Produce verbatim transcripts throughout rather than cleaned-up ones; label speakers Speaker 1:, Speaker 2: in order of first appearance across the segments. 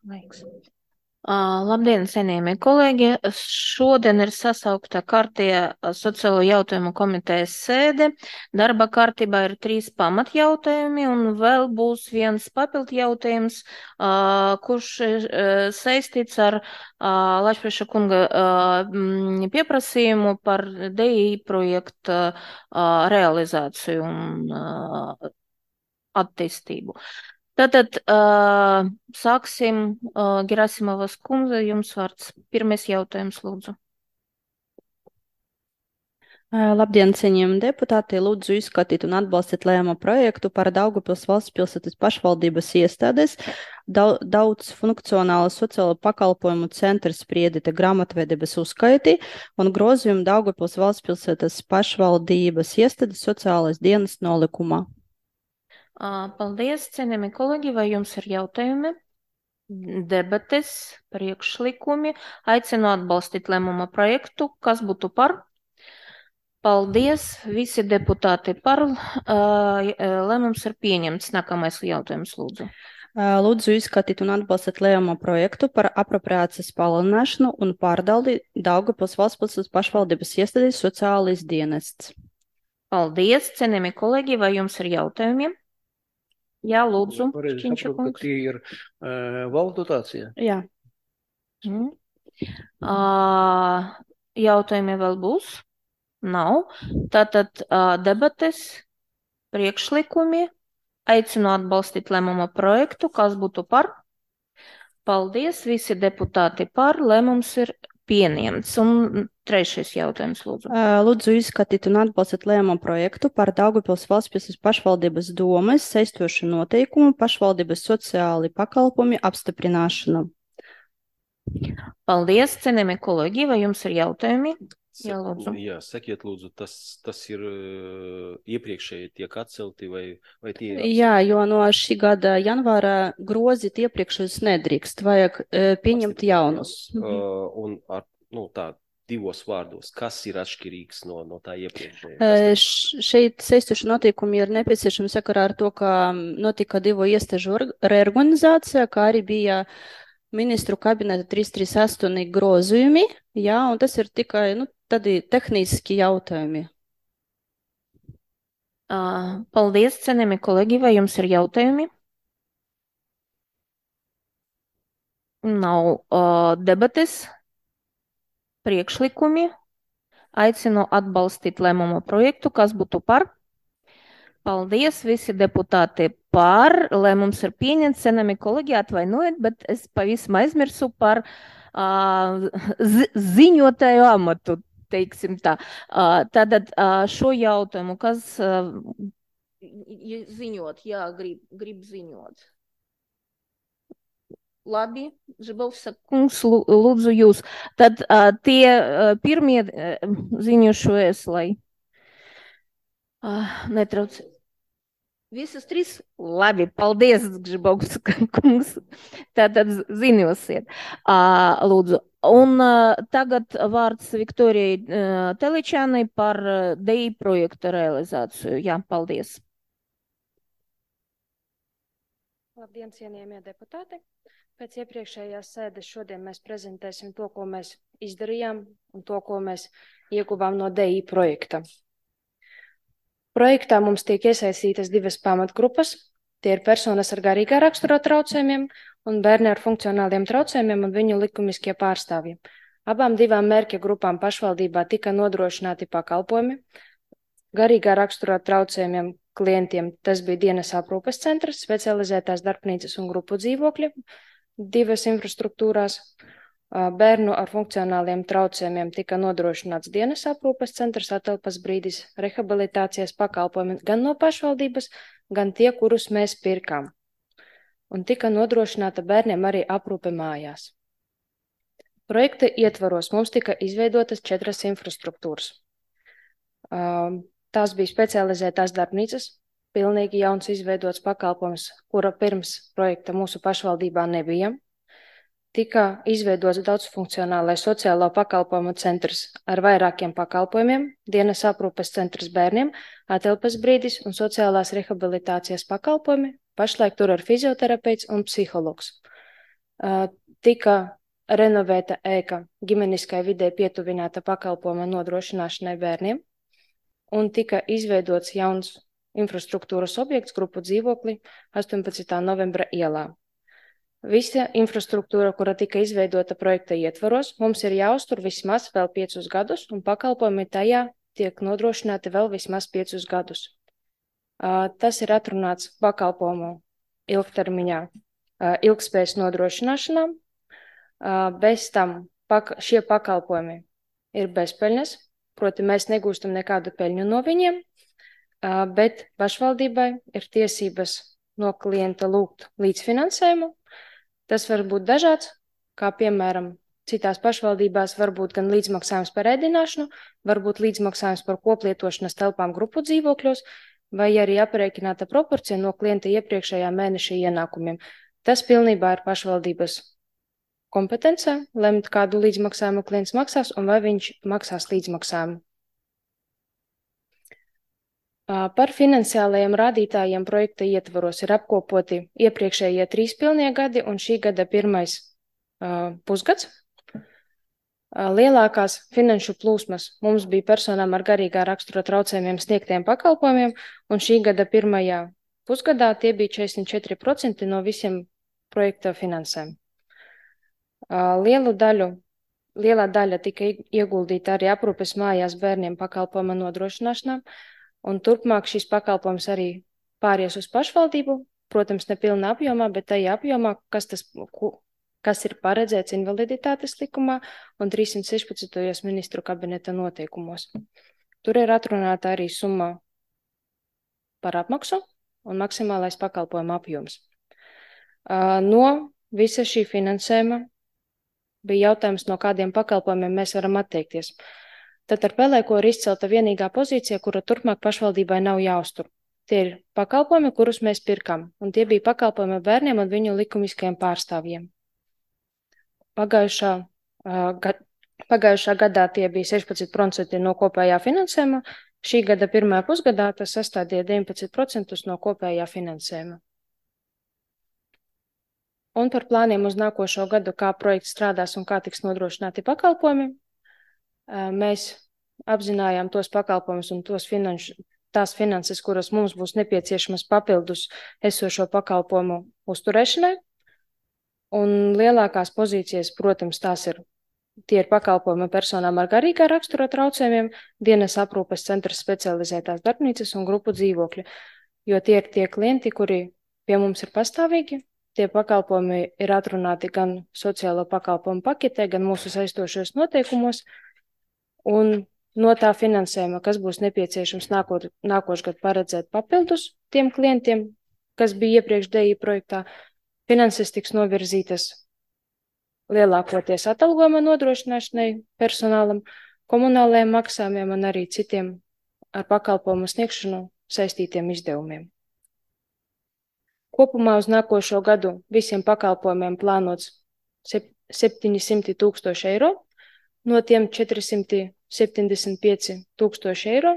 Speaker 1: Laiks. Uh, labdien, cienījamie kolēģi! Šodien ir sasaukta kārtējā sociālo jautājumu komitejas sēde. Darba kārtībā ir trīs pamatjautājumi un vēl būs viens papildu jautājums, uh, kurš ir uh, saistīts ar uh, Lašprieša kunga uh, pieprasījumu par D I projekta uh, realizāciju un uh, attīstību. Tātad uh, sāksim, uh, Gerasimovas kundze, jums vārds. Pirmais jautājums, lūdzu.
Speaker 2: Labdien, cienījami deputāti! Lūdzu izskatīt un atbalstīt lēmumu projektu par Daugavpils valsts pilsētas pašvaldības iestādes daudz funkcionāla sociālo pakalpojumu centra spriedīta grāmatvedības uzskaiti un grozījumu Daugavpils valsts pilsētas pašvaldības iestādes sociālais dienas nolikumā.
Speaker 1: Paldies, cienījami kolēģi, vai jums ir jautājumi? Debates, priekšlikumi, aicinu atbalstīt lēmuma projektu, kas būtu par? Paldies, visi deputāti par, lēmums ir pieņemts. Nākamais jautājums, lūdzu.
Speaker 2: Lūdzu izskatīt un atbalstīt lēmuma projektu par apropriācijas palielināšanu un pārdaldi Daugavpils valsts pilsētas pašvaldības iestādes sociālais dienests.
Speaker 1: Paldies, cienījami kolēģi, vai jums ir jautājumi? Jā, lūdzu, Šķiņša kungs.
Speaker 3: Tie ir uh, valsts dotācija?
Speaker 2: Jā.
Speaker 1: Mm. Uh, jautājumi vēl būs? Nav. Tātad uh, debates, priekšlikumi, aicinu atbalstīt lēmuma projektu, kas būtu par. Paldies, visi deputāti par, lēmums ir pieņemts. Un trešais jautājums, lūdzu.
Speaker 2: Lūdzu izskatīt un atbalstīt lēmumu projektu par Daugavpils valsts pilsētas pašvaldības domes saistošu noteikumu pašvaldības sociāli pakalpojumi apstiprināšanu.
Speaker 1: Paldies, cienījamie kolēģi, vai jums ir jautājumi? Jā, lūdzu.
Speaker 3: Jā, sakiet, lūdzu, tas, tas ir uh, iepriekšēji tiek atcelti vai, vai tie ir?
Speaker 2: Jā, jo no šī gada janvāra grozīt iepriekšējus nedrīkst, vajag uh, pieņemt jaunus.
Speaker 3: Uh, un ar, nu, tā, divos vārdos, kas ir atšķirīgs no, no tā iepriekšējā?
Speaker 2: Uh, šeit saistoši noteikumi ir nepieciešami sakarā ar to, ka notika divu iestāžu reorganizācija, kā arī bija ministru kabineta trīs trīs astoņi grozījumi, jā, un tas ir tikai, nu, tādi tehniski jautājumi.
Speaker 1: Uh, paldies, cienījami kolēģi, vai jums ir jautājumi? Nav uh, debates, priekšlikumi, aicinu atbalstīt lēmumu projektu, kas būtu par. Paldies, visi deputāti par, lēmums ir pieņemts, cienījami kolēģi, atvainojiet, bet es pavisam aizmirsu par uh, zi ziņotāju amatu. Teiksim tā. Tātad šo jautājumu, kas ziņot, jā, grib, grib ziņot. Labi, Žibovsa kungs, lūdzu jūs. Tad tie pirmie ziņošojas, lai netrauc. Visas trīs? Labi, paldies, Žibovsa kungs. Tātad ziņosiet, lūdzu. Un uh, tagad vārds Viktorijai uh, Teličānai par uh, D I projekta realizāciju. Jā, paldies.
Speaker 4: Labdien, cienījamie deputāti! Pēc iepriekšējās sēdes šodien mēs prezentēsim to, ko mēs izdarījām un to, ko mēs ieguvām no D I projekta. Projektā mums tiek iesaistītas divas pamatgrupas. Tie ir personas ar garīgā rakstura traucējumiem un bērni ar funkcionāliem traucējumiem un viņu likumiskie pārstāvji. Abām divām mērķa grupām pašvaldībā tika nodrošināti pakalpojumi. Garīgā rakstura traucējumiem klientiem tas bija dienas aprūpes centrs, specializētās darbnīcas un grupu dzīvokļi, divas infrastruktūrās. Bērnu ar funkcionāliem traucējumiem tika nodrošināts dienas aprūpes centrs, atelpas brīdis, rehabilitācijas pakalpojumi gan no pašvaldības, gan tie, kurus mēs pirkām. Un tika nodrošināta bērniem arī aprūpe mājās. Projekta ietvaros mums tika izveidotas četras infrastruktūras. Tās bija specializētās darbnīcas, pilnīgi jauns izveidots pakalpojums, kura pirms projekta mūsu pašvaldībā nebija. Tika izveidots daudzfunkcionālais sociālo pakalpojumu centrs ar vairākiem pakalpojumiem, dienas aprūpes centrs bērniem, atelpas brīdis un sociālās rehabilitācijas pakalpojumi. Pašlaik tur ir fizioterapeits un psihologs. tika renovēta ēka ģimeniskai vidē pietuvināta pakalpojuma nodrošināšanai bērniem un tika izveidots jauns infrastruktūras objekts grupu dzīvokli astoņpadsmitā novembra ielā. Visa infrastruktūra, kura tika izveidota projekta ietvaros, mums ir jāuztur vismaz vēl piecus gadus, un pakalpojumi tajā tiek nodrošināti vēl vismaz piecus gadus. Tas ir atrunāts pakalpojumu ilgtermiņā ilgspējas nodrošināšanā. Bez tam šie pakalpojumi ir bezpeļņas, proti mēs negūstam nekādu peļņu no viņiem, bet pašvaldībai ir tiesības no klienta lūgt līdzfinansējumu. Tas var būt dažāds, kā piemēram citās pašvaldībās var būt gan līdzmaksājums par ēdināšanu, var būt līdzmaksājums par koplietošanas telpām grupu dzīvokļos, vai arī aprēķināta proporcija no klienta iepriekšējā mēneša ienākumiem. Tas pilnībā ir pašvaldības kompetencē, lemt, kādu līdzmaksājumu klients maksās un vai viņš maksās līdzmaksājumu. Par finansiālajiem rādītājiem projekta ietvaros ir apkopoti iepriekšējie trīs pilnie gadi un šī gada pirmais uh, pusgads. Uh, lielākās finanšu plūsmas mums bija personām ar garīgā rakstura traucējumiem sniegtiem pakalpojumiem, un šī gada pirmajā pusgadā tie bija četrdesmit četri procenti no visiem projekta finansēm. Uh, lielu daļu, lielā daļa tika ieguldīta arī aprūpes mājās bērniem pakalpojuma nodrošināšanām, un turpmāk šis pakalpojums arī pāries uz pašvaldību, protams, nepilnā apjomā, bet tajā apjomā, kas, tas, kas ir paredzēts invaliditātes likumā un trīssimt sešpadsmitajos ministru kabineta noteikumos. Tur ir atrunāta arī summa par apmaksu un maksimālais pakalpojuma apjoms. No visa šī finansējuma bija jautājums, no kādiem pakalpojumiem mēs varam atteikties. Tad ar pelēko ir izcelta vienīgā pozīcija, kura turpmāk pašvaldībai nav jāuztur. Tie ir pakalpojumi, kurus mēs pirkam, un tie bija pakalpojumi bērniem un viņu likumiskajiem pārstāvjiem. Pagājušā, uh, gad, pagājušā gadā tie bija sešpadsmit procenti no kopējā finansējuma, šī gada pirmajā pusgadā tas sastādīja deviņpadsmit procentus no kopējā finansējuma. Un par plāniem uz nākošo gadu, kā projekts strādās un kā tiks nodrošināti pakalpojumi. Mēs apzinājām tos pakalpojumus un tos finanšu, tās finanses, kuras mums būs nepieciešamas papildus esošo pakalpojumu uzturēšanai. Un lielākās pozīcijas, protams, tās ir, tie ir pakalpojumi personām ar garīgā rakstura traucējumiem, dienas aprūpes centras specializētās darbnīcas un grupu dzīvokļi, jo tie ir tie klienti, kuri pie mums ir pastāvīgi. Tie pakalpojumi ir atrunāti gan sociālo pakalpojumu paketē, gan mūsu saistošos noteikumos. Un no tā finansējuma, kas būs nepieciešams nākot, nākošgad paredzēt papildus tiem klientiem, kas bija iepriekš D I projektā, finanses tiks novirzītas lielākoties atalgojuma nodrošināšanai personālam, komunālajiem maksājumiem un arī citiem ar pakalpojumu sniegšanu saistītiem izdevumiem. Kopumā uz nākošo gadu visiem pakalpojumiem plānots septiņsimt tūkstoši eiro, no tiem četri simti septiņdesmit pieci tūkstoši eiro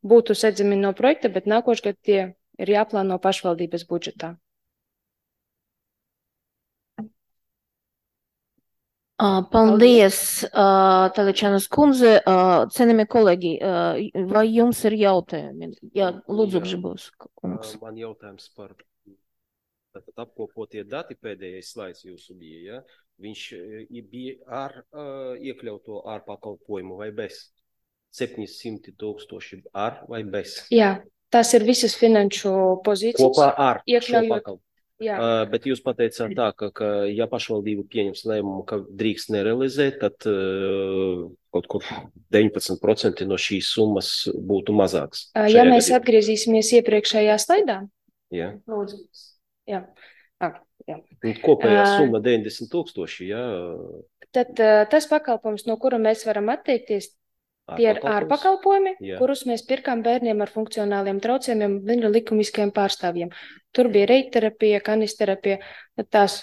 Speaker 4: būtu sedzami no projekta, bet nākošgad tie ir jāplāno pašvaldības budžetā.
Speaker 1: Paldies, Teličanas kundze. Cienījamie kolēģi, vai jums ir jautājumi? Jā, lūdzu, Gžibos kungs.
Speaker 3: Man jautājums par tātad apkopotie dati, pēdējais slaids jūsu bija, ja? Viņš bija ar uh, iekļauto ar pakalpojumu vai bez? septiņsimt tūkstoši ar vai bez?
Speaker 4: Jā, tās ir visas finanšu pozīcijas.
Speaker 3: Kopā ar
Speaker 4: iekļaujot,
Speaker 3: šo pakalpojumu. Jā. Uh, bet jūs pateicāt tā, ka, ka ja pašvaldība pieņems lēmumu, ka drīkst nerealizēt, tad uh, kaut kur deviņpadsmit procenti no šīs summas būtu mazāks.
Speaker 4: Uh, ja mēs gadījumā atgriezīsimies iepriekšējā slaidā.
Speaker 3: Jā.
Speaker 4: Lūdzu. Jā. Ah, jā.
Speaker 3: Kopējā summa deviņdesmit tūkstoši, jā.
Speaker 4: Tad tas pakalpojums, no kura mēs varam atteikties, tie ir ārpakalpojumi, kurus mēs pirkām bērniem ar funkcionāliem traucējumiem viņu likumiskajiem pārstāvjiem. Tur bija reitterapija, kanisterapija, tās.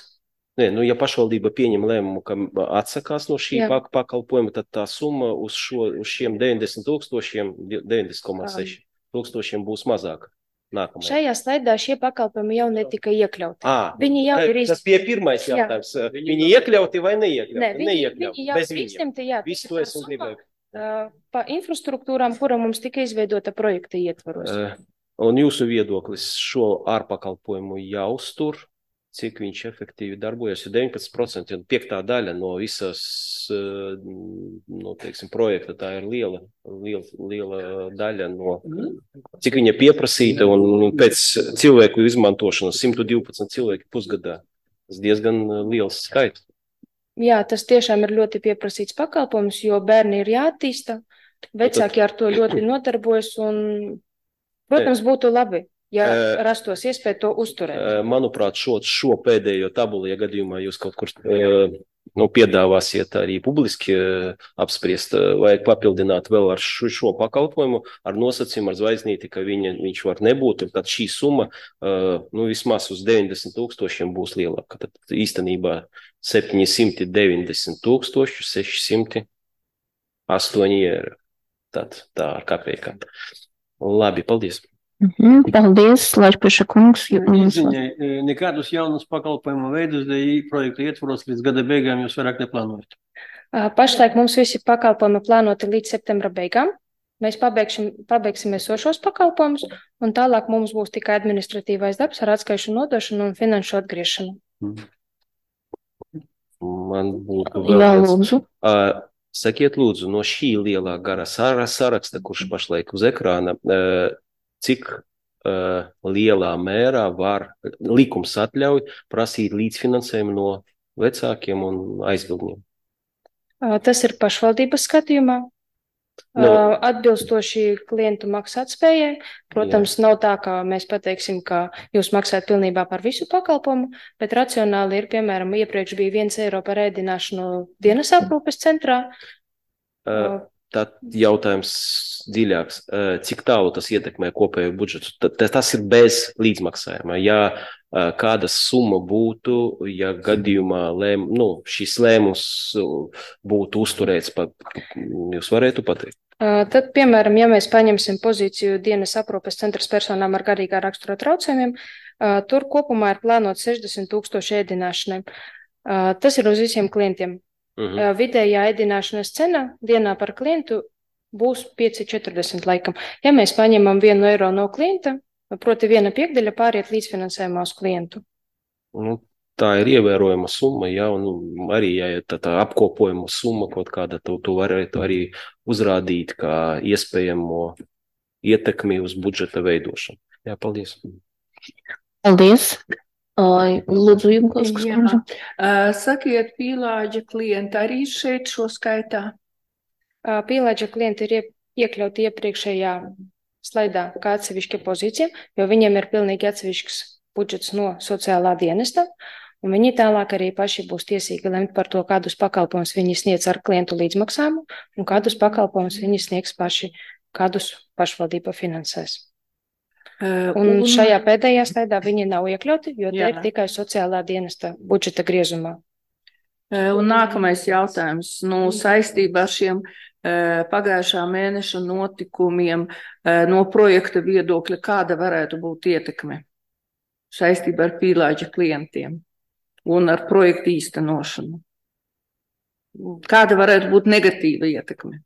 Speaker 3: Nē, nu, ja pašvaldība pieņem lēmumu, ka atsakās no šī jā. pakalpojuma, tad tā summa uz, šo, uz šiem deviņdesmit tūkstošiem, deviņdesmit komats seši tūkstošiem būs mazāka. Nākamajā.
Speaker 4: Šajā slaidā šie pakalpojumi jau netika iekļauti.
Speaker 3: À,
Speaker 4: Viņi jau ir
Speaker 3: tas bija pirmais
Speaker 4: Jā.
Speaker 3: jautājums. Viņi iekļauti vai neiekļauti?
Speaker 4: Nē, viņi,
Speaker 3: Neiekļauti.
Speaker 4: viņi jau
Speaker 3: Bez
Speaker 4: ir
Speaker 3: viņiem.
Speaker 4: izņemti, jā.
Speaker 3: Visu
Speaker 4: tas
Speaker 3: to
Speaker 4: ir
Speaker 3: es un
Speaker 4: par
Speaker 3: gribēju.
Speaker 4: summām, uh, pa infrastruktūrām, kura mums tika izveidota projekta ietvaros.
Speaker 3: Uh, Un jūsu viedoklis šo ārpakalpojumu jāuztur, cik viņš efektīvi darbojas, jo deviņpadsmit procenti un piektā daļa no visas, uh, no, teiksim, projekta, tā ir liela, liela, liela daļa no, cik viņa pieprasīta un pēc cilvēku izmantošanas simt divpadsmit cilvēki pusgadā. Tas diezgan liels skaits.
Speaker 4: Jā, tas tiešām ir ļoti pieprasīts pakalpojums, jo bērni ir jāattīsta, vecāki ar to ļoti nodarbojas un, protams, būtu labi, ja
Speaker 3: Eh,
Speaker 4: rastos iespēja to uzturēt.
Speaker 3: Uh, Manuprāt, šo, šo pēdējo tabulu, ja gadījumā jūs kaut kur uh, nu, piedāvāsiet arī publiski uh, apspriest, uh, vajag papildināt vēl ar šo, šo pakalpojumu, ar nosacījumu, ar zvaigznīti, ka viņa, viņš var nebūt, un tad šī summa uh, nu, vismaz uz deviņdesmit tūkstošiem būs lielāka. Tad īstenībā septiņsimt deviņdesmit tūkstoši sešsimt astoņi eiro. Tad tā ar kapējām. Labi, paldies.
Speaker 1: Mhm, paldies, Laišpeša kungs. jums-
Speaker 5: Izziņai, nekādus jaunus pakalpojumu veidus dēļ projektu ietvaros līdz gada beigām jūs vairāk neplānojat.
Speaker 4: Uh, Pašlaik mums visi pakalpojumi plānoti līdz septembra beigām. Mēs pabeigsim, pabeigsim esošos pakalpojumus, un tālāk mums būs tikai administratīvais darbs ar atskaišu nodošanu un finanšu atgriešanu.
Speaker 3: Man būtu
Speaker 1: Jā,
Speaker 3: vēl viens.
Speaker 1: lūdzu.
Speaker 3: Uh, Sakiet, lūdzu, no šī lielā gara sara- saraksta, kurš pašlaik uz ekrāna, uh, cik uh, lielā mērā var likums atļauj prasīt līdzfinansējumu no vecākiem un aizbildņiem?
Speaker 4: Uh, Tas ir pašvaldības skatījumā.
Speaker 3: Nu.
Speaker 4: Uh, Atbilstoši klientu maksātspējai. Protams, nav tā, ka mēs pateiksim, ka jūs maksājat pilnībā par visu pakalpojumu, bet racionāli ir, piemēram, iepriekš bija viens eiro par ēdināšanu dienas aprūpes centrā.
Speaker 3: Uh, Tad jautājums dziļāks. Uh, Cik tālu tas ietekmē kopējo budžetu? Ta- Tas ir bez līdzmaksājuma. Ja uh, kāda summa būtu, ja gadījumā lēm, nu, šis lēmums uh, būtu uzturēts, pat, jūs varētu pateikt?
Speaker 4: Uh, Tad, piemēram, ja mēs paņemsim pozīciju dienas aprūpes centras personām ar garīgā rakstura traucējumiem, uh, tur kopumā ir plānot sešdesmit tūkstoši ēdināšanai. Uh, Tas ir uz visiem klientiem.
Speaker 3: Mhm.
Speaker 4: Uh, Vidējā ēdināšanas cena dienā par klientu būs pieci četrdesmit laikam. Ja mēs paņemam vienu eiro no klienta, proti viena piekdaļa pāriet līdzfinansējumā uz klientu.
Speaker 3: Nu, tā ir ievērojama summa, ja, un arī, ja ir tā, tā apkopojama summa kaut kāda, to, to varētu arī uzrādīt kā iespējamo ietekmi uz budžeta veidošanu. Jā, paldies.
Speaker 1: Paldies. Ai, Lūdzu, jums
Speaker 6: Jā. Uh, Sakiet, pīlāģa klienti arī šeit šo skaitā?
Speaker 4: Uh, Pīlāģa klienti ir ie- iekļauti iepriekšējā slaidā kā atsevišķa pozīcija, jo viņiem ir pilnīgi atsevišķs budžets no sociālā dienesta, un viņi tālāk arī paši būs tiesīgi lemt par to, kādus pakalpojumus viņi sniedz ar klientu līdzmaksājumu, un kādus pakalpojumus viņi sniegs paši, kādus pašvaldība finansēs.
Speaker 6: Uh,
Speaker 4: Un šajā pēdējā slaidā viņi nav iekļauti, jo te
Speaker 6: Jā.
Speaker 4: ir tikai sociālā dienesta budžeta griezumā.
Speaker 6: Uh, Un nākamais jautājums, nu, saistībā ar šiem uh, pagājušā mēneša notikumiem uh, no projekta viedokļa, kāda varētu būt ietekme saistībā ar pīlāģa klientiem un ar projektu īstenošanu? Kāda varētu būt negatīva ietekme?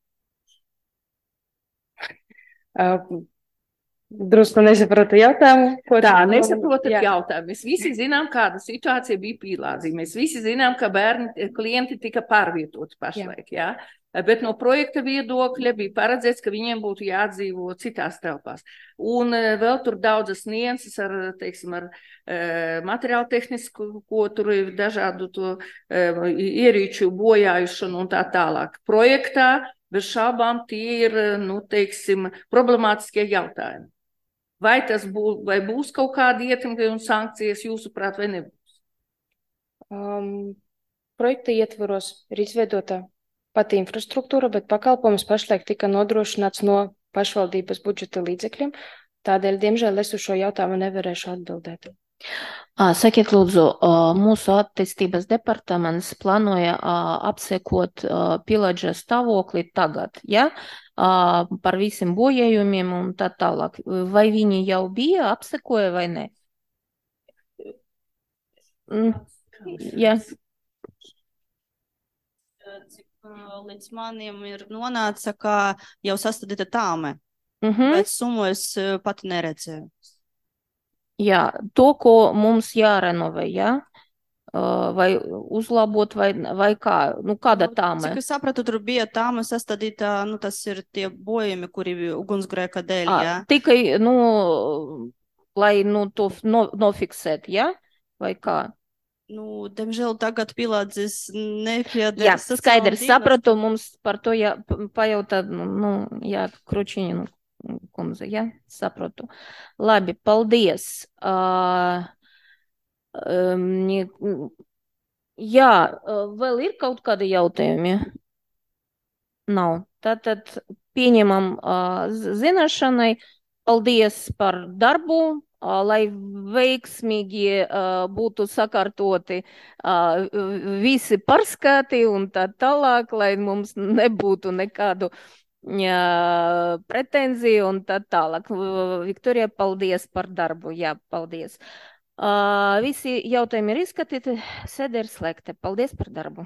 Speaker 4: Uh, Drusku nesapratu jautājumu. ko
Speaker 6: Tā,
Speaker 4: tu-
Speaker 6: nesaprotat
Speaker 4: Jā.
Speaker 6: jautājumu. Mēs visi zinām, kāda situācija bija pīlādzī. Mēs visi zinām, ka bērni, klienti tika pārvietoti pašlaik, jā. Bet no projekta viedokļa bija paredzēts, ka viņiem būtu jādzīvo citās telpās. Un eh, vēl tur daudzas nianses ar, teiksim, ar eh, materiālu tehnisku, ko tur ir dažādu to eh, ierīču bojājušanu un tā tālāk. Projektā bez šaubām tie ir, nu, teiksim, problemātiskie jautājumi. Vai tas būs, vai būs kaut kāda ietekme un sankcijas jūsuprāt vai nebūs?
Speaker 4: Um, projekta ietvaros ir izveidota pati infrastruktūra, bet pakalpojums pašlaik tika nodrošināts no pašvaldības budžeta līdzekļiem. Tādēļ, diemžēl, es uz šo jautājumu nevarēšu atbildēt.
Speaker 1: Ā, Sakiet, lūdzu, ā, mūsu attīstības departaments plānoja ā, apsekot ā, pīlāģa stāvokli tagad, ja? uh, par visiem bojējumiem un tā tālāk. Vai viņi jau bija apsekoja vai ne? Mm. Jā.
Speaker 2: Cik līdz maniem ir nonāca, ka jau sastādīta tāme,
Speaker 1: Mhm.
Speaker 2: bet summu es pati neredzēju.
Speaker 1: Jā, to, ko mums jārenovē, jā? Uh, vai uzlabot, vai, vai kā, nu kāda
Speaker 2: Nu,
Speaker 1: tāme?
Speaker 2: Cik es sapratu, tur bija tāma sastādīta, nu tas ir tie bojumi, kuri ugunsgrēka dēļ,
Speaker 1: À,
Speaker 2: jā.
Speaker 1: tikai, nu, lai, nu, to f- no, nofiksēt, jā? Vai kā?
Speaker 2: Nu, diemžēl tagad pilādzis nepieder
Speaker 1: Jā,
Speaker 2: sociālajiem
Speaker 1: skaidrs,
Speaker 2: dienestam.
Speaker 1: sapratu, mums par to jā, p- pajautāt, nu, nu, jā, Kručiņa, nu, kundze, jā, sapratu. Labi, paldies. Uh, um, nie- jā, uh, vēl ir kaut kādi jautājumi? Nav. Tātad pieņemam uh, z- zināšanai. Paldies par darbu, uh, lai veiksmīgi uh, būtu sakārtoti uh, visi pārskati un tā tālāk, lai mums nebūtu nekādu uh, pretenziju un tā tālāk. Uh, Viktorija, paldies par darbu. Jā, paldies. Uh, visi jautājumi ir izskatīti. Sēde ir slēgta. Paldies par darbu.